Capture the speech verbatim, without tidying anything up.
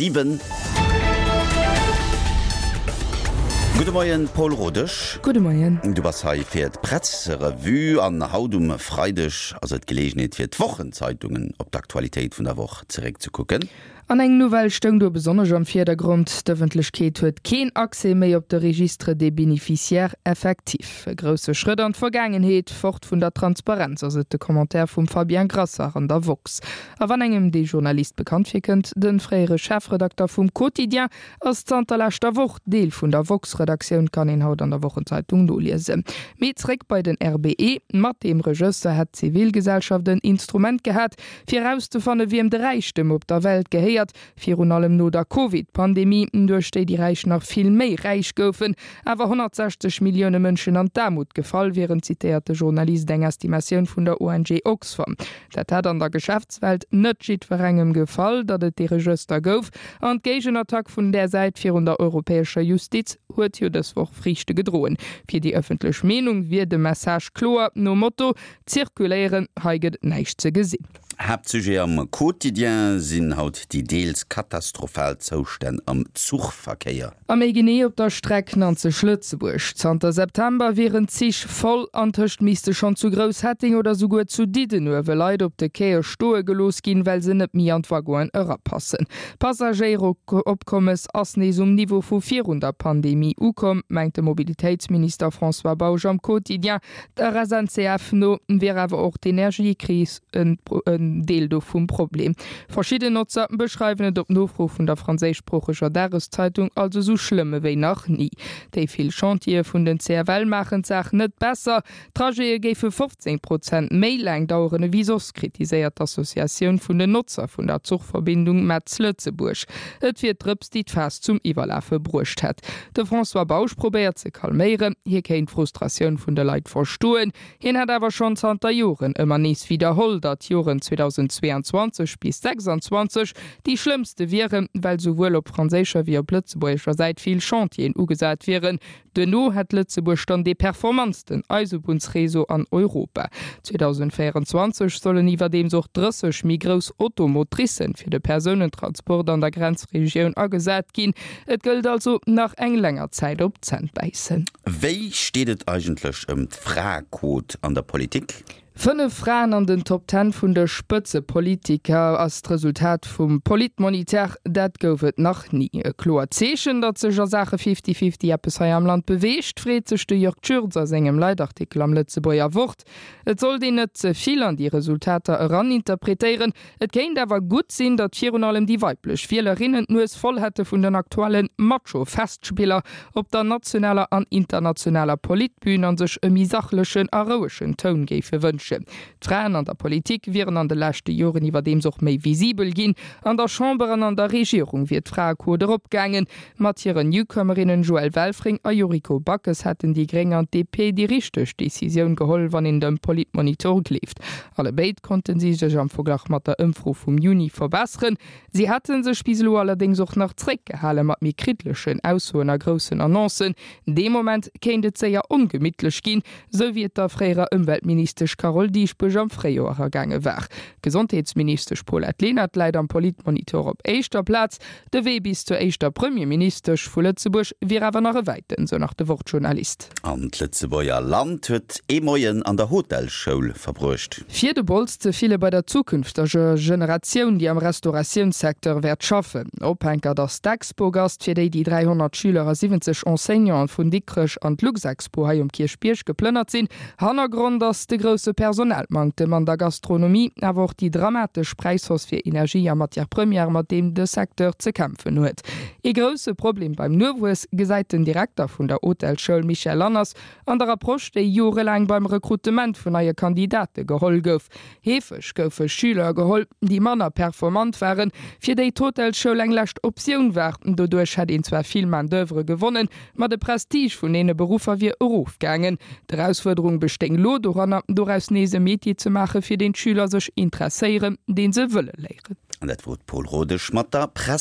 Siwen. Gudde Moien, Paul Rodesch. Gudde Moien. Du bass hei fir d'Presserevue an haut um Freideg ass et d'Geleegenheet fir d'Wochenzeitungen op d'Aktualitéit vun der Woch zeréckzekucken. An eng Nouvelle stoung do besonnesch am Virdergrond, D'Ëffentlechkeet huet keen Accès méi op de Registre des bénéficiaires effectifs. E grousse Schrëtt an d'Vergaangenheet, fort vun der Transparenz, ass et de Commentaire vum Fabien Grasser an der woxx. A wann engem dee Journalist bekannt virkënnt, de fréiere Chefredakter vum Quotidien ass zanter leschter Woch Deel vun der woxx-Redaktioun, kann een haut an der Wochenzeitung noliesen. Mee zréck bei den R B E, Mat deem Regëster hätt d'Zivilgesellschaft en Instrument gehat, fir erauszefanne wiem de Räichtem op der Welt gehéiert, virun allem no der Covid-Pandemie, duerch déi déi Räich nach vill méi räich goufen, awer honnertsechzeg Millioune Mënschen an d'Aarmut gefall wieren, zitéiert de Journalist eng Estimatioun vun der O N G Oxfam. Dat hätt an der Geschäftswelt net jiddwerengem gefall, datt et dee Regëster gouf, an d'Géigenattack vun där Säit virun der europäescher Justiz huet jo dës Woch Friichte gedroen. Fir déi ëffentlech Meenung wier de Message kloer, nom Motto, Zirkuléieren, hei gëtt et näischt ze gesinn. Haaptsujet am Quotidien sinn haut déi deels katastrophal Zoustänn am Zuchverkéier. A méi genee op der Streck Nanzeg-Lëtzebuerg. Zanter September wieren d'Zich voll, antëscht misste schonn zu Grousshetteng oder souguer zu Diddenuewe Leit op de Quaie stoe gelooss ginn, well se net méi an d'Waggonen erapassen. D'Passagéieropkommes ass nees um Niveau vu virun der Pandemie ukomm, mengt de Mobilitéitsminister François Bausch am Quotidien. Der S N C F no wier awer och d'Energiekris en Deel do vum Problem. Verschidden Notzer beschreiwen et op Nofro vun der franséischsproocheger Dageszeitung als esou schlëmm ewéi nach ni. Déi vill Chantiere vun den C F L maachen d'Saach net besser. D'Trajete géife fofzéng Prozent méi laang daueren ewéi soss, kritiséiert d'Associatioun vun den Notzer vun der Zuchverbindung Metz-Lëtzebuerg. Et wier d'Drëps, déi d'Faass zum Iwwerlafe bruecht hätt. De François Bausch probéiert ze kalméieren, hie kéint d'Frustratioun vun de Leit verstoen. Hien hätt awer schonn zanter Joren ëmmer nees widderholl, datt d'Joren zweedausendzweeanzwanzeg bis sechsanzwanzeg déi schlëmmste wieren, well souwuel op franséischer wéi op lëtzebuergescher Säit vill Chantieren ugesat wieren. Duerno hätt Lëtzebuerg dann dee performantsten Eisebunnsreseau an Europa. zweedausendvéierenzwanzeg sollen iwwerdeems och drësseg méi grouss Automotricen fir de Persounentransport an der Grenzregioun agesat ginn. Et gëllt also nach eng länger Zäit op d'Zänn bäissen. Wéi steet et eigentlech ëm d'Fraequot an der Politik? Fënnef Fraen an den Top Ten vun de Spëtzepolitiker ass d'Resultat vum Politmoniteur. Dat gouf et nach ni. E kloert Zeechen, datt sech a Saache Fifty-Fifty eppes hei am Land beweegt, freet sech de Jörg Tschürtz a sengem Leitartikel am Lëtzebuerger Wort. Et sollt een net ze vill an déi Resultater eraninterpretéieren. Et kéint awer gutt sinn, datt virun allem déi weiblech Wielerinnen d'Nues voll hätte vun den aktuelle Macho-Festspiller op der nationaler an internationaler Politbün an sech e méi sachlechen a rouegen Toun géife wënschen. D'Fraen an der Politik wieren an de leschte Joren iwwerdeems och méi visibel ginn. An der Chamber an an der Regierung wier d'Fraequot eropgaangen. Mat hiren Newcomerinnen Joëlle Welfring a Yuriko Backes hätten déi Gréng an d'D P déi richteg Decisioun geholl, wann een dem Politmonitor gleeft. Allebéid konnten si sech am Verglach mat der Ëmfro vum Juni verbesseren. Si hätte sech bis elo allerdéngs och nach zréckgehale mat méi kriddlechen Aussoen a groussen Annoncen. Dee Moment kéint et séier ongemittlech ginn, sou wéi et der fréierer Ëmweltministesch Carole Dieschbourg am Fréijoer ergaange war. Gesondheetsministesch Paulette Lenert läit am Politmonitor op éischter Plaz. De Wee bis zur éischter Premierministesch vu Lëtzebuerg wier awer nach e wäiten, sou nach de Wort-Journalist. An d'Lëtzebuerger Land huet ee Moien an der Hotelschoul verbruecht. Fir de Bols ze fille bei der zukünfteger Generatioun, déi am Restauratiounssecteur wäert schaffen. Ophänkert ass d'Expogast, fir déi déi dräihonnert Schüler a siwwenzeg Enseignanten vun Dikrech an d'Luxexpo hei um Kierchbierg geplënnert sinn. Hannergrond ass de grousse Personalmanktem an der Gastronomie, awer och déi dramatesch Präishausse fir Energie a Matières premières, mat deem de Secteur ze kämpfen huet. Ee grousse Problem beim Nowuess gesäit den Direkter vun der Hotelschoul Michel Lanners an der Approche, déi jorelaang beim Rekrutement vun neie Kandidate geholl gouf. Heefeg goufe Schüler geholl, déi manner performant waren, fir déi d'Hotelschoul eng lescht Optioun war. Doduerch hätt een zwar vill Main d'oeuvre gewonnen, ma de Prestige vun deene Beruffer wier erofgaangen. D'Erausfuerderung bestéing lo doranner, doraus nees e Metier ze maachen, fir deen d'Schüler sech interesséieren, deen se wëlle léieren. An dat wor d'Paul Rodesch mat der Press.